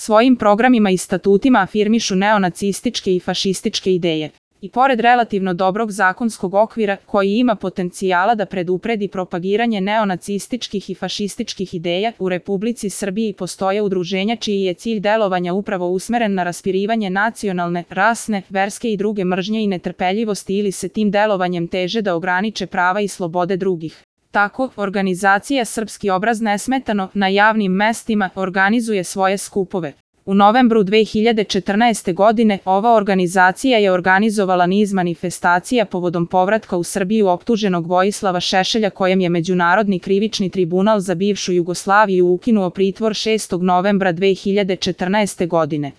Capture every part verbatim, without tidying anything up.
Svojim programima i statutima afirmišu neonacističke i fašističke ideje. I pored relativno dobrog zakonskog okvira koji ima potencijala da predupredi propagiranje neonacističkih i fašističkih ideja, u Republici Srbiji postoje udruženja čiji je cilj delovanja upravo usmeren na raspirivanje nacionalne, rasne, verske i druge mržnje i netrpeljivosti ili se tim delovanjem teže da ograniče prava i slobode drugih. Tako, organizacija Srpski obraz nesmetano na javnim mestima organizuje svoje skupove. U novembru dve hiljade četrnaeste. godine ova organizacija je organizovala niz manifestacija povodom povratka u Srbiju optuženog Vojislava Šešelja kojem je Međunarodni krivični tribunal za bivšu Jugoslaviju ukinuo pritvor šestog novembra dve hiljade četrnaeste. godine.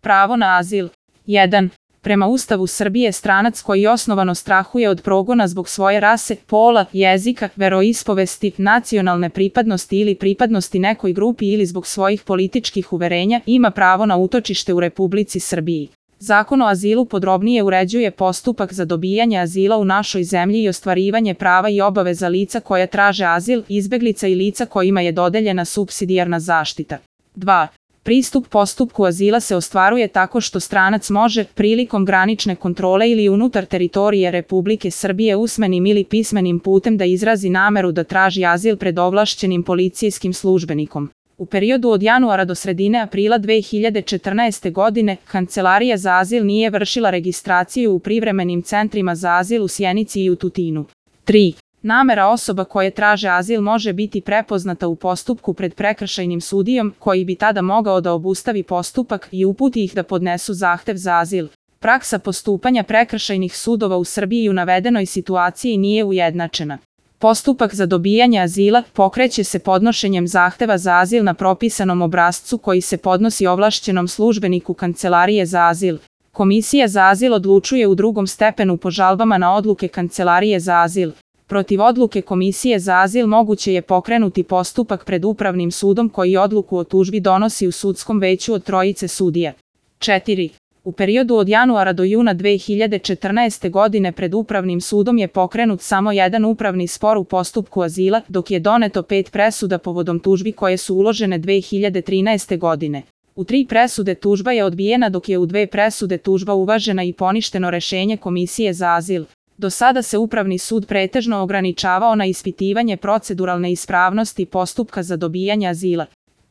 Pravo na azil. jedan. Prema Ustavu Srbije stranac koji osnovano strahuje od progona zbog svoje rase, pola, jezika, veroispovesti, nacionalne pripadnosti ili pripadnosti nekoj grupi ili zbog svojih političkih uverenja ima pravo na utočište u Republici Srbiji. Zakon o azilu podrobnije uređuje postupak za dobijanje azila u našoj zemlji i ostvarivanje prava i obaveza lica koja traže azil, izbeglica i lica kojima je dodeljena supsidijarna zaštita. dva. Pristup postupku azila se ostvaruje tako što stranac može, prilikom granične kontrole ili unutar teritorije Republike Srbije usmenim ili pismenim putem da izrazi nameru da traži azil pred ovlašćenim policijskim službenikom. U periodu od januara do sredine aprila dve hiljade četrnaeste. godine Kancelarija za azil nije vršila registraciju u privremenim centrima za azil u Sjenici i u Tutinu. tri. Namera osoba koje traže azil može biti prepoznata u postupku pred prekršajnim sudijom, koji bi tada mogao da obustavi postupak i uputi ih da podnesu zahtev za azil. Praksa postupanja prekršajnih sudova u Srbiji u navedenoj situaciji nije ujednačena. Postupak za dobijanje azila pokreće se podnošenjem zahteva za azil na propisanom obrascu koji se podnosi ovlašćenom službeniku Kancelarije za azil. Komisija za azil odlučuje u drugom stepenu po žalbama na odluke Kancelarije za azil. Protiv odluke Komisije za azil moguće je pokrenuti postupak pred Upravnim sudom koji odluku o tužbi donosi u sudskom veću od trojice sudija. četiri. U periodu od januara do juna dve hiljade četrnaeste. godine pred Upravnim sudom je pokrenut samo jedan upravni spor u postupku azila, dok je doneto pet presuda povodom tužbi koje su uložene dve hiljade trinaeste. godine. U tri presude tužba je odbijena dok je u dve presude tužba uvažena i poništeno rešenje Komisije za azil. Do sada se Upravni sud pretežno ograničavao na ispitivanje proceduralne ispravnosti postupka za dobijanje azila.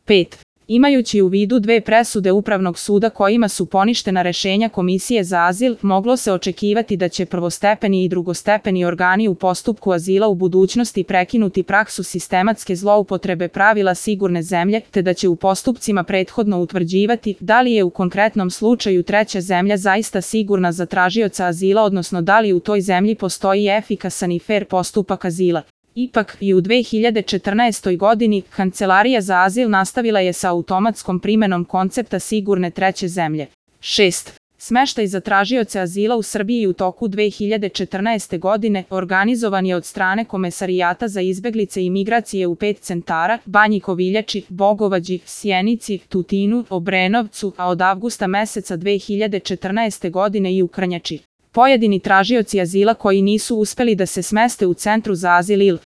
pet. Imajući u vidu dve presude Upravnog suda kojima su poništena rešenja Komisije za azil, moglo se očekivati da će prvostepeni i drugostepeni organi u postupku azila u budućnosti prekinuti praksu sistematske zloupotrebe pravila sigurne zemlje, te da će u postupcima prethodno utvrđivati da li je u konkretnom slučaju treća zemlja zaista sigurna za tražioca azila, odnosno da li u toj zemlji postoji efikasan i fer postupak azila. Ipak, i u dve hiljade četrnaestoj. godini, Kancelarija za azil nastavila je sa automatskom primenom koncepta sigurne treće zemlje. šest. Smeštaj za tražioce azila u Srbiji u toku dve hiljade četrnaeste. godine organizovan je od strane Komesarijata za izbeglice i migracije u pet centara, Banji Koviljači, Bogovađi, Sjenici, Tutinu, Obrenovcu, a od avgusta meseca dve hiljade četrnaeste. godine i u Krnjači. Pojedini tražioci azila koji nisu uspeli da se smeste u centru za azil ili